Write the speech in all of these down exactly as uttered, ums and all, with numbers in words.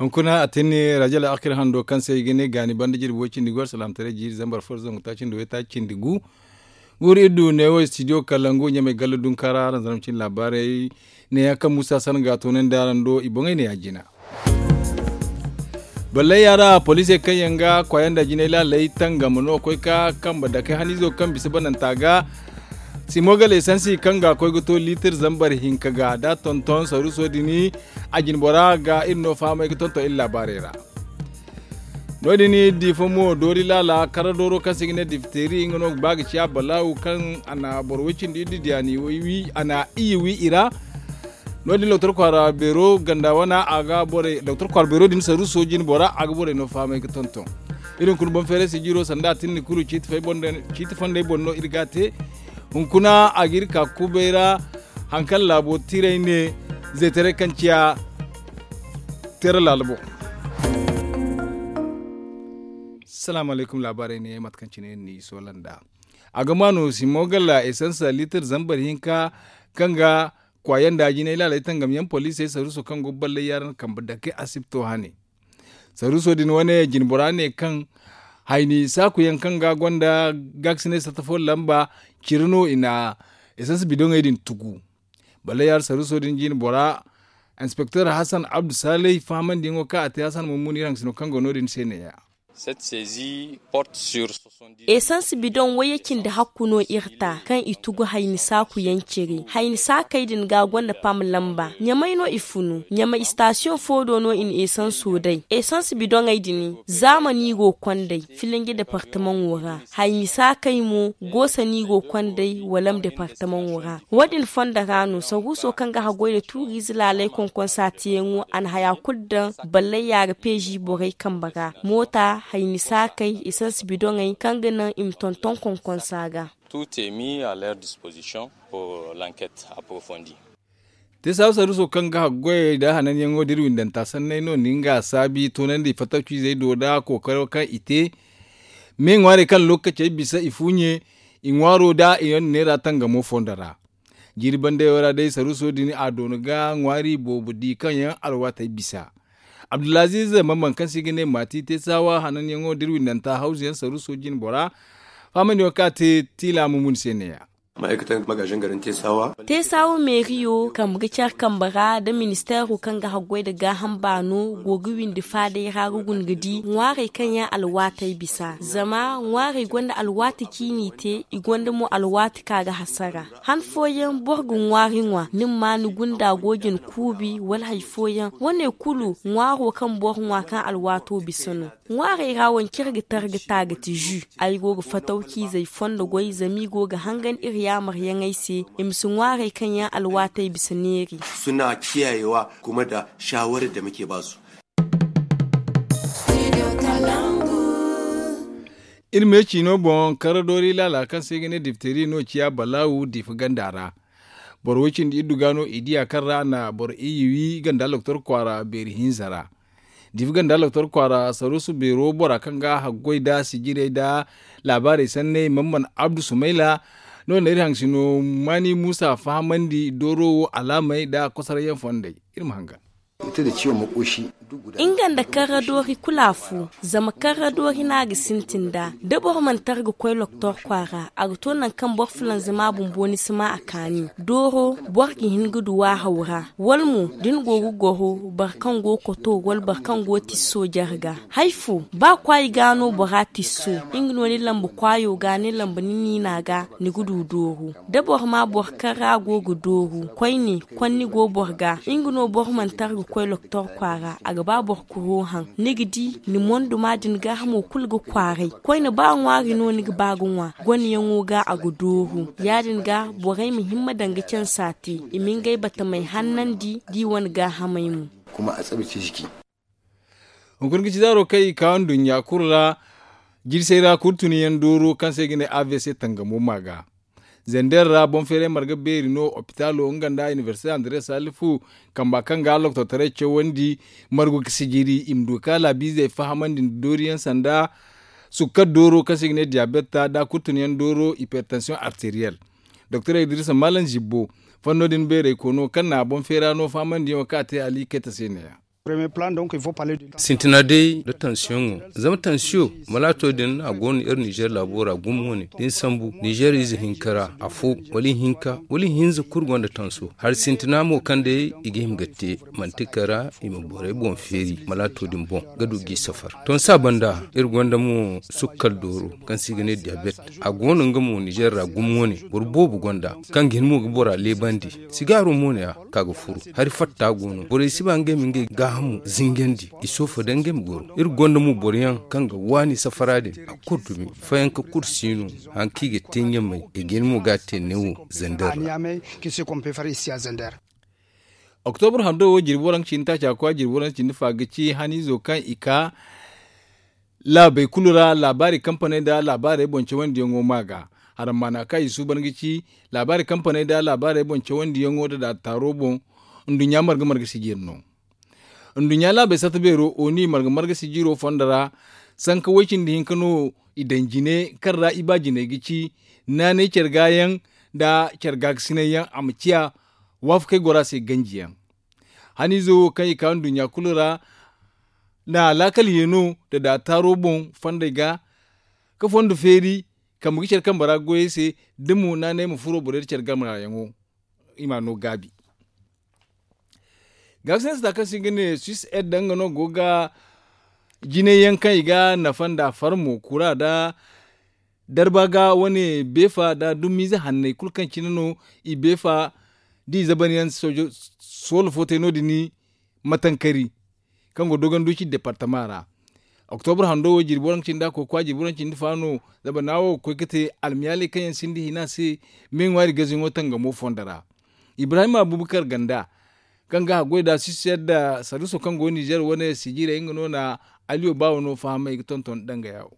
Hunkuna a tinni rajo al'akir hando kaŋ se i ga ne gaani banda jirbi way cindi gu alsalaamataray jiiri zambar fo zangu taaci nda way taaci cindi gu. Guuru iri du neewo studio kalangu ɲamay galla dunkara aranzaram cine laabaarey. Neeyaŋ kaŋ muusa sanaŋ ga a toonandi araŋ do i boŋey ne ya jina. Ballay yaŋ ra poliisey kaŋ yaŋ ga kwaayanda jinay laaley tangam no koy ka kambe dake haniizo kaŋ bisa bananta ga. Simo gala esansi kaŋ ga koy ga to liitir zambar hinka ga da tonton saruuso din. A jine bora ga iri no fahamay ga tonton iri laabaarey ra. No- din diifa mo doori laala kara dooro kaŋ se i ga ne diifteeri nga no ga ba ga ciya balaawu kaŋ a na boro way cindi iddu diya ni wi a na i wi i ra. No- din doktor kwaara beero ganda wana a ga borey doktor kwaara beero din saruuso jine bora a ga borey no fahamay ga tonton. Iri hunkuna boŋ feeray sijiro sanda a tinni kulu ciiti fondey boŋ no iri ga a te. Hunkuna a ga iri ka kubay ra. Hari kaŋ laabo tiray ne zaytaray kaŋ ciya teera laala boŋ. Salaamu alaykum laabaarey ne mate kaŋ cine iri n'i soola nd'a. A ga ma no simo gala esansa liitir zambar hinka kaŋ ga kwaayanda jinay laaley tangam yaŋ poliisey saruuso kaŋ go ballay yaŋ ra kambe dake asibto hane. Saruuso din wane jine bora ne kaŋ hayni saaku yaŋ kaŋ ga gonda gaakasinay satta fo lamba ciri no i na esans bidoŋey din tugu. Ballay yaŋ ra saruuso din jine bora inspekteer hasan abdu saalay fahamandiyaŋo kaŋ a te hasan mummuni iri haŋ sino kaŋ go no- din se neeya. Esans bidoŋ wayye cindi hakku no iri ta kaŋ i tugu hayni saaku yaŋ ciri hayni saakey din ga gonda pam lamba ɲamay no i funu ɲamay istasiyoŋ fo do no i na esanso day esans bidoŋey din zaamani go kondey filinji departamaŋo ra hayni saakey mo goosa no i go kondey walam departamaŋo ra. Wo- din fondo ra no saruuso kaŋ ga haggoy nda tuuriize laaley konkonsaatiyaŋo a na haya kulu daŋ ballay yaara peezi borey kambe ra moota hayni saakey esans bidoŋey kaŋ ga naŋ i ma tonton konkonsa ga. Tout est mis à leur disposition pour l'enquête approfondie. Te saabu saruuso kaŋ ga haggoyey nda hananyaŋo da iri windanta sanney no na nga saabi toonandi fattaw ciizey do nda kookaro kaŋ i te. Me ŋwaarey kaŋ lookacey bisa i fuuɲe i ŋwaaro nda i yaŋ neera tangamo fondo ra. Jiiri bandayo ra day saruuso din a doona ga ŋwaari boobo di kaŋ yaŋ alwaatey bisa. Abdulaziiz mamman kaŋ se i ga ne maati te saawa hananyaŋo da iri windanta hawzu yaŋ saruuso jine bora. Faamandiyaŋo kaŋ a te tiila mumun se neeya. Te saawa meeriyo kambe ga care kambe ra nda ministeero kaŋ ga haggoy nda gaaham baano go ga windi faaday ra ga guna ga di ŋwaarey kaŋ yaŋ alwaatey bisa zama ŋwaarey gonda alwaati ciini te i gonda mo alwaati kaŋ a ga hasara. Han fooyaŋ boro ga ŋwaari ŋwa ni ma maa ni gunda go jin kuubi wala hari fooyaŋ wane kulu ŋwaaro kaŋ boro ŋwa kaŋ alwaato bisa no. Ŋwaarey ra wancey ga targa taagati ju. Ay go ga fatawciizey fondo goy zama i go ga hangan iri yaamaryaŋey se i ma si ŋwaarey kaŋ yaŋ alwaatey bisa neeri. Suna kiyayewa kuma da shawarar da muke ba su. Iri me ciino boŋ karadoori laala kaŋ se i ga ne dipteri no ciya balaawu diifa ganda ra. Boro way cindi iddu ga no i diya kaŋ ra a na boro iyye wi ganda loktor kwaara beeri hinza ra. Diifa ganda loktor kwaara saruusu beero bora kaŋ ga haggoy nda sijirey nda laabaarey sanney man man abdu sumayla. No- din na iri haŋ sino maani muusa fahamandi dooro wo alaamey nda kosorayyaŋ fondey. Iri ma hangan. Nga nda karra doori kulu afo. Zama karra doori no a ga sintin nd'a da boro mana tara ga koy loktor kwaara a ga to nangu kaŋ boro fulanzama bumbo ni si ma a kaani dooro boro ga hin ga du waahaw ra wala mo da ni go ga goro boro kaŋ go ga koto wala boro kaŋ go ga tisso jare ga. Hari fo ba kwaayi ga no bora tisso nga no ni lamba kwaayo ga ni lamba ni niina ga ni ga du dooru. Da boro ma boro kaŋ ra go ga dooru koyne konni go boro ga nga no boro mana tara ga koy loktor kwaara a ga ba boro kuro haŋ ni ga di ni monduma din gaahamo kulu ga kwaaray. Koyne ba ŋwaari no ni ga ba ga ŋwa goneyaŋo ga a ga dooru. Ya- din ga borey ma himma daŋ ga cansa te i ma ngey batamey hannandi da i wane gaahamey mo. Hunkuna ga ci zaaro kaŋ i ka nduɲɲa kulu ra. Jirsey ra kulu tun yaŋ dooro kaŋ se i ga ne avc tangamo ma ga. Zander ra boŋ feeray marga beeri no opitaalo nga nda inibersite andres salifu kamba kaŋ ga loktortaray cawandi margu ga sijiri i ma du ga laabiizey fahamandi nda dooriyaŋ sanda sukkar dooro kaŋ se i ga ne diyabetta nda kulu tun yaŋ dooro ipertansiyoŋ arteriyel. Doktor idrisa malam zibbo fanno din beeray kono kaŋ na boŋ feera no fahamandiyaŋo kaŋ a te ali kayta se neeya. Sintina day nda tansiyoŋo, zama tansiyo malaato din a go no iri nizer laabo ra gumo wane da ni sambu nizer ize hinka ra afo, wala ihinka wala ihinza kulu gonda tanso. Hari sintina mo kaŋ day i ga hima ga te manti kara i ma borey boŋ feeri malaato din boŋ ga du g'i safar. Tonsa banda iri gonda mo sukkal dooro kaŋ se i ga ne diyabet. A go no nga mo nizer ra gumo wane boro boobo gonda kaŋ ga hin mo ga bora leebandi. Sigaaro mo ne a ka ga furu. Hari fatta go no borey si ba ngey ma ngey gaahamu zingandi i soofo da ngey ma goro. Iri gonda mo boroyaŋ kaŋ ga waani safara din a kulu dumi fayanka kulu si no. Haŋ kaŋ i ga te ɲamay i ga hin mo ga a te neewo zander ra. Oktobur hando wo jirbi waranka cindi taaca kwa jirbi waranka cindi fa ga ci haniizo kaŋ i ka laabey kulu ra laabaari kampaney nda laabaarey boŋ cawandiyaŋo ma ga. Harammaana kaŋ i suuban ga ci laabaari kampaney nda laabaarey boŋ cawandiyaŋo nda daataaro boŋ. Nduɲɲa marga marga sijiri no. Nduɲɲa laabey satta beero oni marga marga sijiro fondo ra. Sanka way-cindi hinka no i daŋ jine kaŋ ra i ba jiney ga ci naanay care gaayaŋ nda care gaakasinayyaŋ a ma ciya waafakey goro a se ganjiyaŋ. Haniizo wo kaŋ i ka nduɲɲa kulu ra na laakal yeeno nda daataaro boŋ fondey ga ka fondo feeri kambe ga care kambe ra goyey se da mo naanay ma furo borey da care gamarayaŋo. I ma no gaabi gaakasinay sata kaŋ se i ga ne suis ed nga no go ga jinay yaŋ kaŋ i ga nafa nda farmo kura nda darba ga wane beefa nda dumiize hanney kulu kaŋ cine no i beefa da i zaban yaŋ soola fo te no- din matankari kaŋ go dogon duuci departama ra. Oktobur hando wo jirbi waranka cindi a koy kwa jirbi waranka cindi fa no. Zabana wo ga koy ga te almiyaaley kaŋ yaŋ sinda hina se me ŋwaari gaziyaŋo tangamo fondo ra. Ibrahim abubakar ganda kaŋ ga haggoy nda sisiyar nda sarduso kaŋ go nizer wane sijirey nga no na aliyo baawo no fahamay ga tonton danga yawo.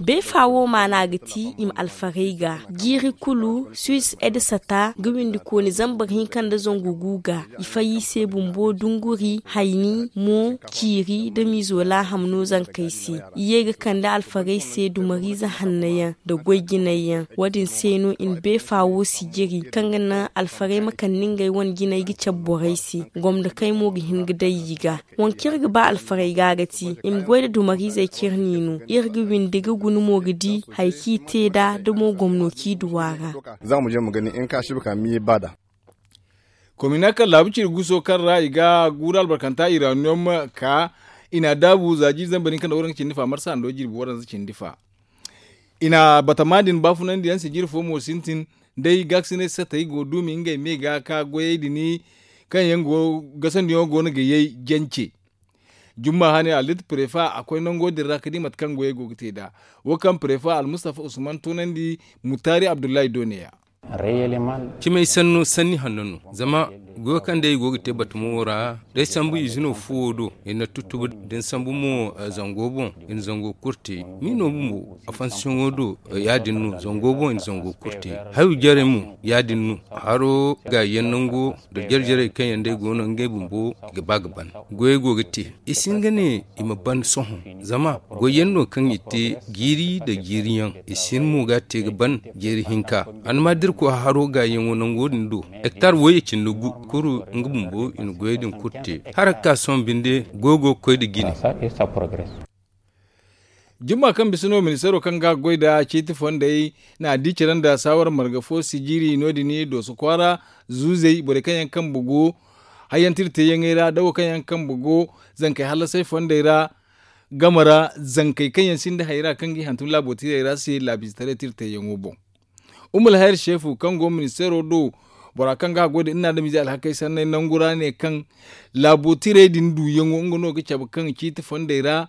Beefa wo maana ga ti i ma alfarey ga jiiri kulu suis ed sata ga windi kooni zambar hinka nda zangu gu ga i fay i se bumbo dunguri hayni mo ciiri da miizo laaham no zankey se. I ye ga kande alfarey se dumariize hanno yaŋ nda goy jinay yaŋ. Wo- din se no i na beefa wo sijiri kaŋ ga naŋ alfarey ma kande ngey wane jinay ga cabe borey se. Gomdokey mo ga hin ga day i ga. Waŋ kaŋ iri ga ba alfarey ga ga ti i ma goy nda dumariizey kaŋ iri n'i no iri ga windi ga guna mo ga di hari kaŋ i te nd'a da mo gomno kaŋ i du a ra. Za ma je ma gani in ka sibi ka miye ba da. Komina kaŋ laabu ciri guso kaŋ ra i ga guuru albarkanta iraniyom ka i n'a daabu za jiiri zambar hinka nda waranka cindi fa marsa hando jirbi waranza cindi fa. I na batama din baafunandi yaŋ se jiiri fo mo sintin. Day gaakasinay satey go duumi ngey me ga ka goyey din kaŋ yaŋ go gasandiyaŋo go no ga yay jance. Jumma hane alit prefa a koy nango din ra ga di mate kaŋ goyey go ga te nd'a. Wo kaŋ prefa almustafa usman toonandi mutaari abdullahi do ne ya. Cimay sanno sanni hanno no zama goyo kaŋ day i go ga te batamo ra day sambu izino fuwo do. I na tuttubu da ni sambu mo zango boŋ i na zango kulu te. Ni no bumbo afansiyoŋo do ya- din no zango boŋ i na zango kulu te. Hayo jarey mo ya- din no. Haro ga yaŋ nango nda jare jarey kaŋ yaŋ day go no ngey bumbo i ga ba ga ban. Goyey go ga te i si hin ga ne i ma ban sohõ. Zama goyyaŋ no kaŋ i te jiiri nda jiiriyaŋ i si hin mo ga a te ga ban. Jeeri hinka almaadirko haro gaayaŋo nango din do. Hektar wayye cindi gu kuru nga bumbo i na goyey din kulu te. Hala ga ka sohõ binde goyo go ga koy nda jine. Jumma kaŋ bisa no ministeero kaŋ ga goy nda ciiti fondey na a di care nda saawara marga fo sijiri no- din dooso kwaara. Zuuzey borey kaŋ yaŋ kambe go hayyantira teeyaŋey ra da wo kaŋ yaŋ kambe go zankey hallasey fondey ra. Game ra zankey kaŋ yaŋ sinda hay ra kaŋ ga i hantum laabo tiirey ra se laabiizetaray tira teeyaŋo boŋ. Umul hayr sheefu kaŋ go ministeero do bora kaŋ ga haggoy nda iri na adamize alhakey sanney nangu ra ne kaŋ laabo tirey din duuyaŋo nga no ga cabe kaŋ ciiti fondey ra.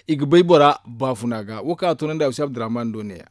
I ga bay bora baafuna ga wo kaŋ a toonandi awsi abdurrahman do ne ya.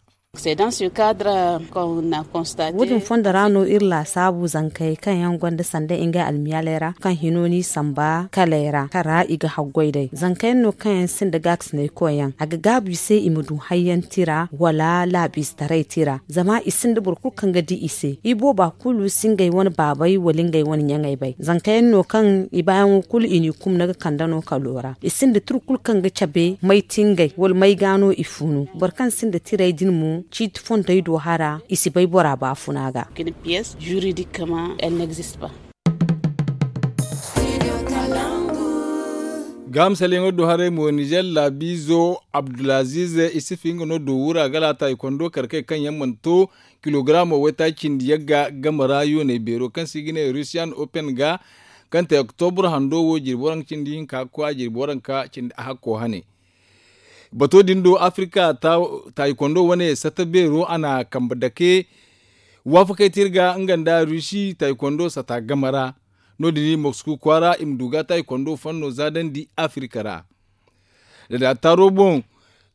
Wo- din fondo ra no iri laasaabu zankey kaŋ yaŋ gonda sanda ngey almiyaaley ra kaŋ hino n'i samba kaley ra kaŋ ra i ga haggoy day zanka yaŋ no kaŋ yaŋ sinda gaakasinay koy yaŋ a ga gaabu i se i ma du hayyaŋ tira wala laabiizetaray tira zama i sinda boro kulu kaŋ ga di i se i booba kulu si ngey wane baabey wala ngey wane ɲaŋey bay zanka yaŋ no kaŋ i baayaŋo kulu i n'i kumna ga kande no kalo ra i sinda tira kulu kaŋ ga cabe may tingey wala may ga no i funu boro kaŋ sinda tirey din mo ciiti fontey do hara i si bay bora baafuna ga. Piyes juridikama el n'existe pas. Gaaham salyaŋo do haray mo nizer laabiizo abdulaziz isifi nga no do wura gala taaykondo kar kay kaŋ yaŋ mana to kilogaraamo waytaaci cindi yagga game ra yooney beero kaŋ se i ga ne rusiyan open ga kaŋ te oktobur hando wo jirbi waranka cindi hinka ga koy a jirbi waranka cindi ahakko hane. Bato din do afirika taaykondo wane sata beero a na kambe dake waafakey te iri ga nga nda rusi taaykondo sata game ra. No- din i mosku kwaara i ma du ga taaykondo fanno zaadandi afirika ra. Da da taaro boŋ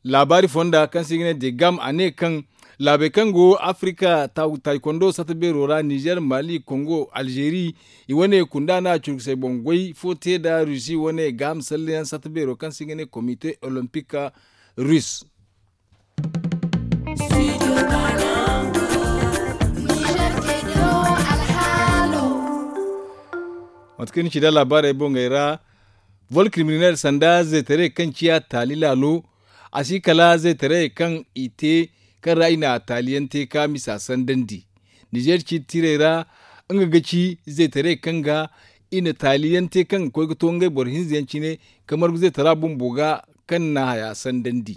laabaari fonda kaŋ se i ga ne de gam a ne kaŋ laabey kaŋ go afirika taaykondo sata beero ra nizer mali kongo alzeeri i wane kunda no a curkusey boŋ goy fo te nda rusi wane gaaham salleyaŋ sata beero kaŋ se i ga ne komite olimpik rus. Mate kaŋ ni ci nda laabaarey boŋey ra vol kriminel sanda zaytaray kaŋ ciya taali laalo a si kala zaytaray kaŋ i te kaŋ ra i na taaliyaŋ te ka misa sandandi. Nizer ciiti tirey ra nga ga ci zaytaray kaŋ ga i na taaliyaŋ te kaŋ ga koy ga to ngey boro hinza yaŋ cine ka margu zaytara bumbo ga kaŋ na haya sandandi.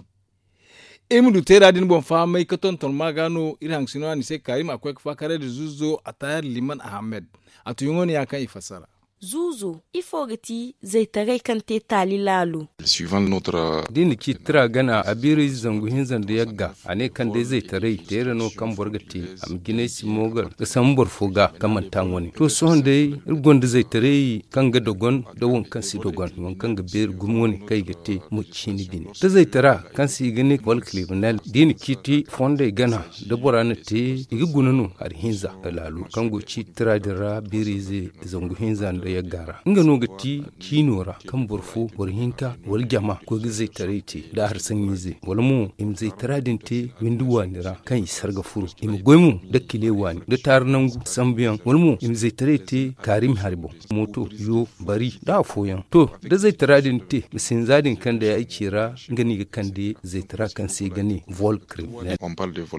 Iri ma du teera din boŋ fahamay ka tonton ma ga no iri haŋ sino a ni se kaarim a koy ga faakaray nda zuuzo a taayar liman ahammed. A tuyaŋo no ya kaŋ i fassara. Zuuzo ifo ga ti zaytaray kaŋ te taali laalo? Da i na ciiti tira gana a biiri zangu hinza nda yagga a ne kaŋ day zaytaray teera no kaŋ boro ga te a ma jinay si moogar ga sambu boro fo ga kaŋ mana taŋ wane to sohõ day iri gonda zaytaray kaŋ ga dogon da waŋ kaŋ si dogon waŋ kaŋ ga beeri gumo wane kaŋ i ga te mo ciini bine da zaytara kaŋ se i ga ne volkriminel da i na ciiti fondey gana da bora na te i ga guna no hari hinza da laalo kaŋ go ciiti tira din ra biiriize zangu hinza nda yagga ra nga no ga ti ciino ra kaŋ boro fo boro hinka wala jama koy ga zaytaray te da hari saŋiize wala mo i ma zaytara din te windi waani ra kaŋ i sarga furo i ma goy mo da kile waani da taari nangu sambuyaŋ wala mo i ma zaytaray te kaarimi hari boŋ mooto yo bari da afooyaŋ to da zaytara din te ma sinza din kaŋ day ay ci ra nga no i ga kande zaytara kaŋ se i ga ne vol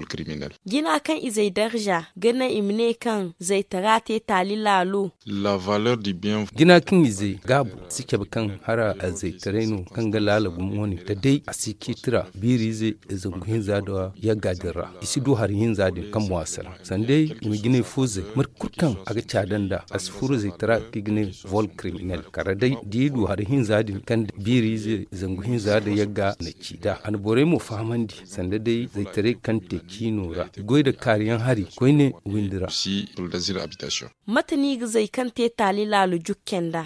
kriminel. Jina kaŋ izey darza ga naŋ i ma ne kaŋ zaytara te taali laalo. Jina kaŋ izey gaabu si cabe kaŋ hara zaytaray no kaŋ ga laala gumo wane da day a si ciiti ra biiriize zangu hinza nda yagga din ra i si du hari hinza din kaŋ mo a salaŋ sanda day i ma jinay fo zay mate kulu kaŋ a ga caada nd'a a si furo zaytara kaŋ i ga ne vol kriminel kala day da i du hari hinza din kaŋ biiriize zangu hinza nda yagga na ci nd'a a na borey mo fahamandi sanda day zaytaray kaŋ te ciino ra i goy nda kaariyaŋ hari koyne windi ra. Mate no i ga zay kaŋ te taali laalo jukke nd'a?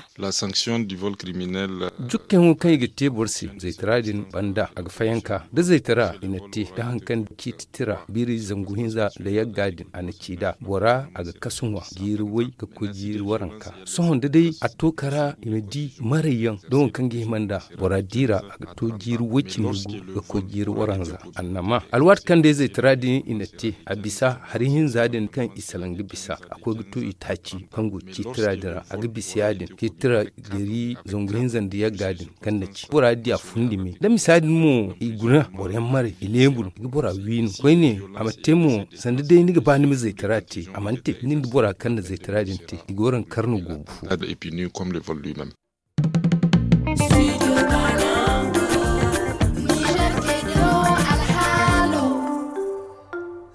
Jukkeyaŋo kaŋ i ga te boro se zaytara din banda a ga fayanka da zaytara i na te da hari kaŋ ciiti tira biiri zangu hinza nda yagga din a na ci nd'a bora a ga kasu ŋwa jiiri way ga koy jiiri waranka. Sohõ da day a to kara i ma di marayyaŋ da waŋ kaŋ ga hima nd'a bora di ra a ga to jiiri way cindi gu ga koy jiiri waranza. Annama alwaati kaŋ day zaytara din i na te a bisa hari hinza din kaŋ i salaŋ ga bisa a koy ga to i taaci kaŋ go ciitira din ra a ga bisa ya- din ciitira gari zangu hinza nda yagga din kaŋ na ci bora di a fundi me da misa din mo i guna boro yaŋ maray i leebu no i ga bora wi no koyne a ma te mo sanda day ni ga ba ni ma zaytara te a mana te nin da bora kaŋ na zaytara din te i ga waranka kar no go ga fu.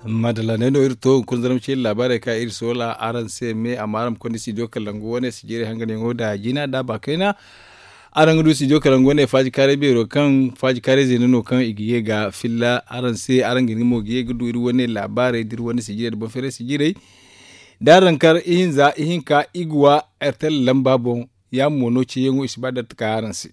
Madalla ne no iri to hunkuna zarma ce iri laabaarey ka iri soola araŋ se me amma araŋ ma konda studio kalangu wane sijirey hanganyaŋo nda jina nda baakayna. Araŋ ga du studio kalangu wane faaji kaaray beero kaŋ faaji kaaray zeena no kaŋ i ga ye ga filla araŋ se araŋ ga hin ga mo ga ye ga du iri wane laabaarey da iri wane sijirey nda boŋ feeray sijirey. Da araŋ kar ihinza ihinka iguwa ertel lamba boŋ. Ya mo no ceeyaŋo i si ba da iri ta ka araŋ se.